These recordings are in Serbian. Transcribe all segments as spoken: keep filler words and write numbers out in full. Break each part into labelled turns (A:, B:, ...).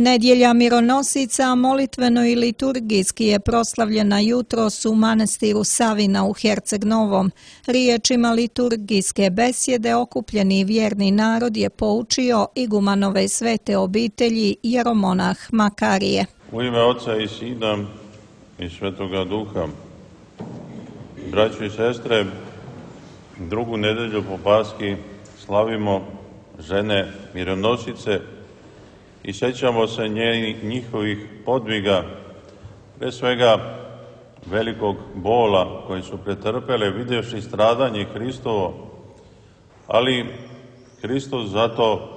A: Nedjelja mironosica molitveno i liturgijski je proslavljena jutros u manastiru Savina u Herceg Novom. Riječima liturgijske besjede okupljeni vjerni narod je poučio igumanove svete obitelji jeromonah Makarije.
B: U ime Oca i Sina i Svetoga Duha. Braćo i sestre, drugu nedelju po Paski slavimo žene mironosice i sjećamo se njihovih podviga, pre svega velikog bola koji su pretrpele vidjevši stradanje Hristovo, ali Hristos zato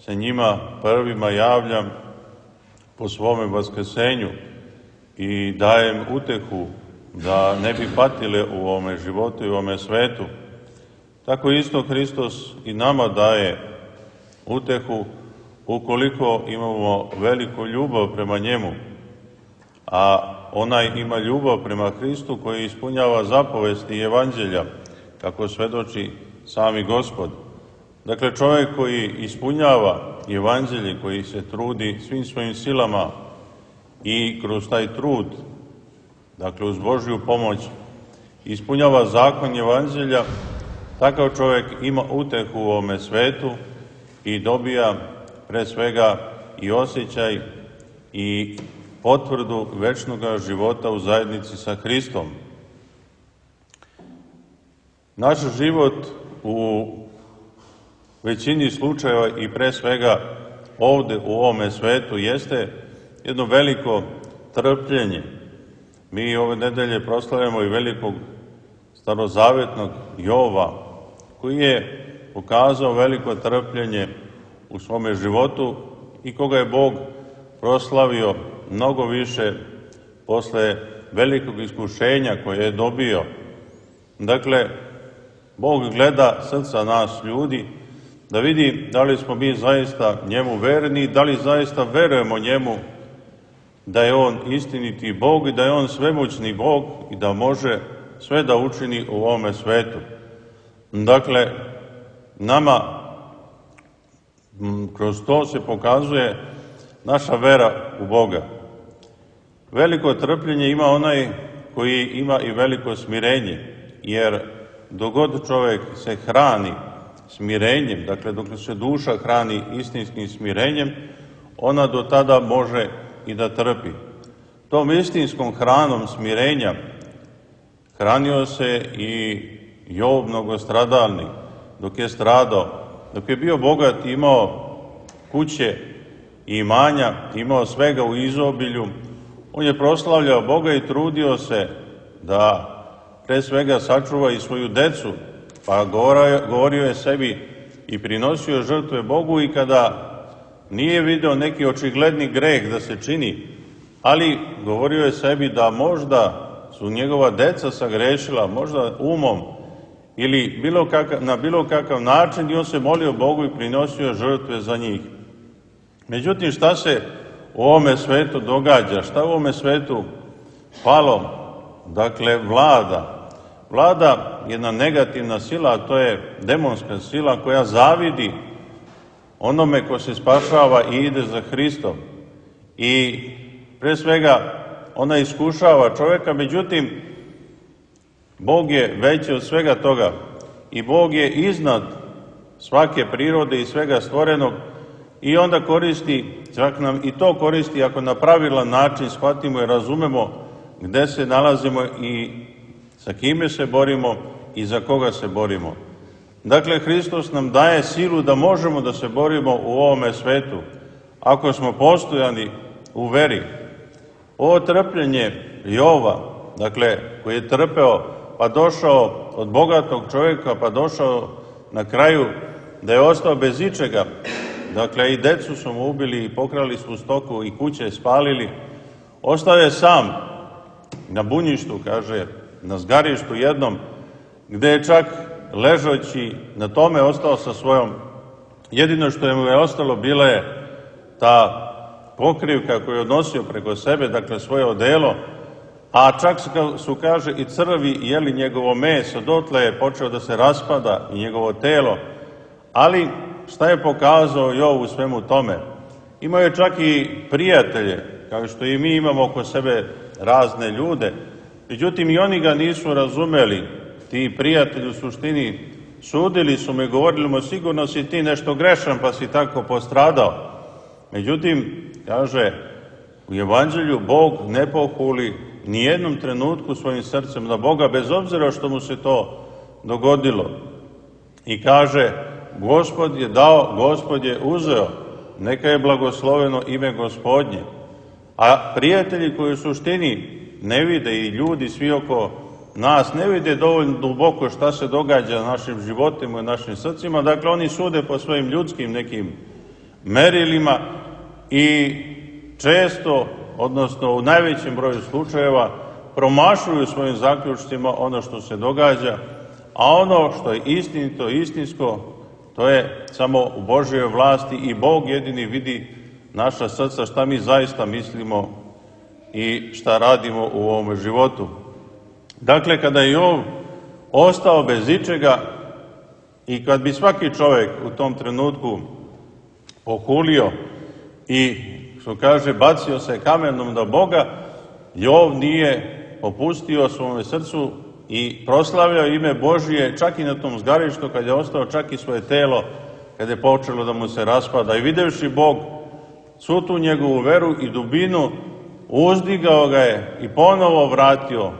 B: se njima prvima javlja po svome vaskrsenju i daje im utehu da ne bi patile u ovome životu i u ovome svetu. Tako isto Hristos i nama daje utehu ukoliko imamo veliku ljubav prema njemu, a onaj ima ljubav prema Hristu koji ispunjava zapovesti evanđelja, kako svedoči sami Gospod. Dakle, čovjek koji ispunjava evanđelje, koji se trudi svim svojim silama i kroz taj trud, dakle uz Božju pomoć, ispunjava zakon evanđelja, takav čovjek ima utehu u ovome svetu i dobija pre svega i osjećaj i potvrdu večnog života u zajednici sa Hristom. Naš život u većini slučajeva i pre svega ovde u ovome svetu jeste jedno veliko trpljenje. Mi ove nedelje proslavljamo i velikog starozavetnog Jova, koji je pokazao veliko trpljenje u svome životu i koga je Bog proslavio mnogo više posle velikog iskušenja koje je dobio. Dakle, Bog gleda srca nas ljudi da vidi da li smo mi zaista njemu verni, da li zaista verujemo njemu da je on istiniti Bog i da je on svemoćni Bog i da može sve da učini u ovome svetu. Dakle, nama kroz to se pokazuje naša vera u Boga. Veliko trpljenje ima onaj koji ima i veliko smirenje, jer dok god čovjek se hrani smirenjem, dakle dok se duša hrani istinskim smirenjem, ona do tada može i da trpi. Tom istinskom hranom smirenja hranio se i Jov mnogostradalnik dok je stradao. Dok je bio bogat, imao kuće i imanja, imao svega u izobilju, on je proslavljao Boga i trudio se da pre svega sačuva i svoju decu, pa govorio je sebi i prinosio žrtve Bogu i kada nije video neki očigledni greh da se čini, ali govorio je sebi da možda su njegova deca sagrešila, možda umom, ili bilo kakav, na bilo kakav način, i on se molio Bogu i prinosio žrtve za njih. Međutim, šta se u ovome svetu događa? Šta u ovome svetu palo? Dakle, vlada. Vlada jedna negativna sila, a to je demonska sila koja zavidi onome ko se spašava i ide za Hristom. I pre svega ona iskušava čovjeka, međutim, Bog je veći od svega toga i Bog je iznad svake prirode i svega stvorenog i onda koristi, čak nam i to koristi ako na pravilan način shvatimo i razumemo gde se nalazimo i sa kime se borimo i za koga se borimo. Dakle, Hristos nam daje silu da možemo da se borimo u ovome svetu ako smo postojani u veri. Ovo trpljenje Jova, dakle, koji je trpeo pa došao od bogatog čovjeka, pa došao na kraju da je ostao bez ičega. Dakle, i decu su mu ubili i pokrali svu stoku i kuće spalili. Ostao je sam na bunjištu, kaže, na zgarištu jednom, gde je čak ležeći na tome ostao sa svojom, jedino što je mu je ostalo bila je ta pokrivka koju je odnosio preko sebe, dakle svoje odelo, a čak su, kaže, i crvi jeli njegovo meso, dotle je počeo da se raspada i njegovo telo. Ali šta je pokazao Jov u svemu tome? Imao je čak i prijatelje, kao što i mi imamo oko sebe razne ljude. Međutim, i oni ga nisu razumeli. Ti prijatelji u suštini sudili su me, govorili mu, sigurno si ti nešto grešan pa si tako postradao. Međutim, kaže, u Evanđelju Bog ne pohuli nijednom trenutku svojim srcem na Boga, bez obzira što mu se to dogodilo. I kaže, Gospod je dao, Gospod je uzeo, neka je blagosloveno ime Gospodnje. A prijatelji koji u suštini ne vide, i ljudi svi oko nas ne vide dovoljno duboko šta se događa na našim životima i našim srcima, dakle oni sude po svojim ljudskim nekim merilima i često, odnosno u najvećem broju slučajeva, promašuju svojim zaključcima ono što se događa, a ono što je istinito, istinsko, to je samo u Božjoj vlasti i Bog jedini vidi naša srca, šta mi zaista mislimo i šta radimo u ovom životu. Dakle, kada je Jov ostao bez ičega i kad bi svaki čovjek u tom trenutku pokulio i, što kaže, bacio se kamenom na Boga, Jov nije popustio svome srcu i proslavljao ime Božije čak i na tom zgarištu, kad je ostao čak i svoje telo, kad je počelo da mu se raspada. I videvši Bog svu tu njegovu veru i dubinu, uzdigao ga je i ponovo vratio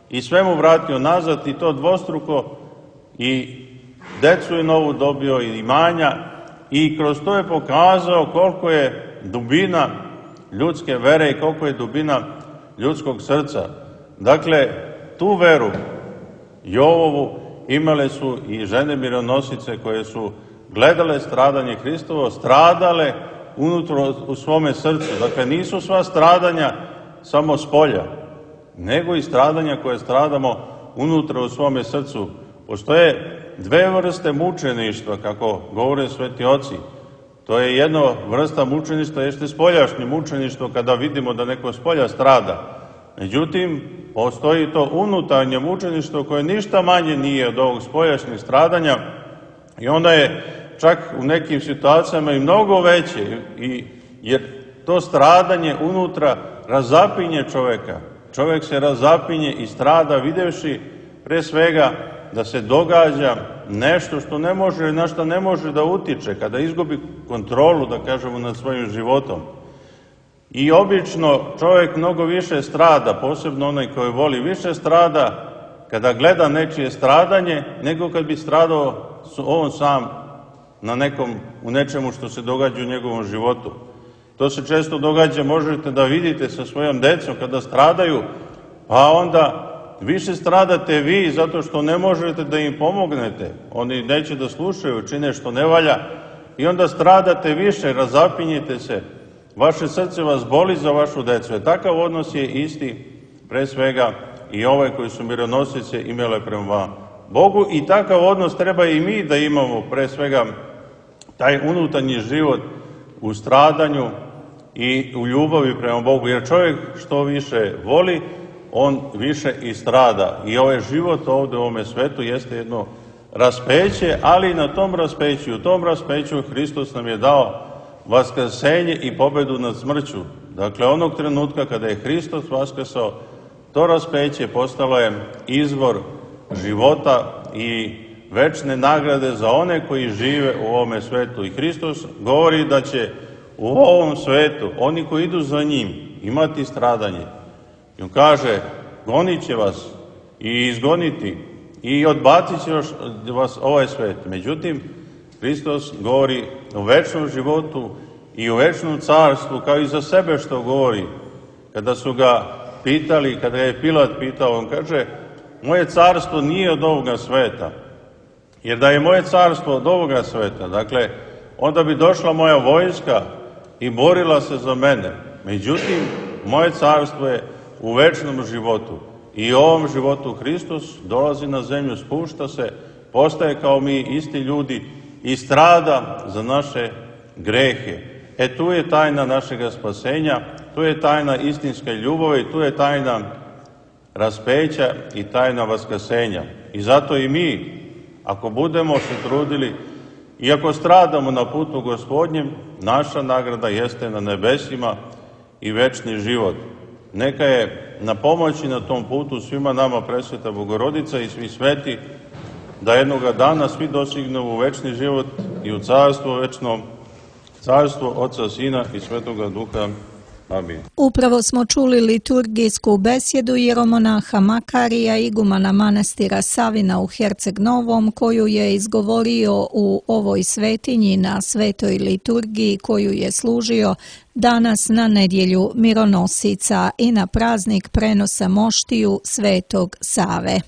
B: i sve mu vratio nazad, i to dvostruko, i decu je novu dobio i imanja, i kroz to je pokazao koliko je dubina ljudske vere i koliko je dubina ljudskog srca. Dakle, tu veru Jovovu imale su i žene mironosice koje su gledale stradanje Hristovo, stradale unutra u svome srcu. Dakle, nisu sva stradanja samo s polja, nego i stradanja koje stradamo unutra u svome srcu. Postoje dve vrste mučeništva, kako govore sveti oci. To je jedno vrsta mučeništva, jeste spoljašnje mučeništvo, kada vidimo da neko s polja strada. Međutim, postoji to unutarnje mučeništvo koje ništa manje nije od ovog spoljašnjeg stradanja, i onda je čak u nekim situacijama i mnogo veće, i, jer to stradanje unutra razapinje čoveka. Čovek se razapinje i strada videvši pre svega da se događa nešto što ne može, na što ne može da utiče, kada izgubi kontrolu, da kažemo, nad svojim životom. I obično čovjek mnogo više strada, posebno onaj koji voli, više strada kada gleda nečije stradanje, nego kad bi stradao on sam na nekom, u nečemu što se događa u njegovom životu. To se često događa, možete da vidite sa svojom decom kada stradaju, pa onda više stradate vi zato što ne možete da im pomognete. Oni neće da slušaju, čine što ne valja, i onda stradate više, razapinjete se. Vaše srce vas boli za vašu decu. E, takav odnos je isti, pre svega, i ovaj koji su mironosice imale prema Bogu, i takav odnos treba i mi da imamo, pre svega, taj unutarnji život u stradanju i u ljubavi prema Bogu, jer čovjek što više voli, on više i strada. I ovaj život ovde u ovome svetu jeste jedno raspeće, ali na tom raspeću, u tom raspeću Hristos nam je dao vaskrsenje i pobedu nad smrću. Dakle, onog trenutka kada je Hristos vaskrsao, to raspeće postalo je izvor života i večne nagrade za one koji žive u ovome svetu. I Hristos govori da će u ovom svetu oni koji idu za njim imati stradanje. I on kaže, gonit će vas i izgoniti i odbacit će vas ovaj svet. Međutim, Hristos govori o večnom životu i o večnom carstvu, kao i za sebe što govori. Kada su ga pitali, kada je Pilat pitao, on kaže, moje carstvo nije od ovoga sveta. Jer da je moje carstvo od ovoga sveta, dakle, onda bi došla moja vojska i borila se za mene. Međutim, moje carstvo je u večnom životu. I u ovom životu Hristos dolazi na zemlju, spušta se, postaje kao mi isti ljudi i strada za naše grehe. E tu je tajna našega spasenja, tu je tajna istinske ljubavi, tu je tajna raspeća i tajna vaskrsenja. I zato i mi, ako budemo se trudili, iako stradamo na putu Gospodnjem, naša nagrada jeste na nebesima i večni život. Neka je na pomoći na tom putu svima nama Presveta Bogorodica i svi sveti, da jednoga dana svi dostignemo u večni život i u carstvo večno, carstvo Oca, Sina i Svetoga Duha. Amin.
A: Upravo smo čuli liturgijsku besjedu jeromonaha Makarija, igumana manastira Savina u Herceg Novom, koju je izgovorio u ovoj svetinji na svetoj liturgiji koju je služio danas na nedjelju mironosica i na praznik prenosa moštiju Svetog Save.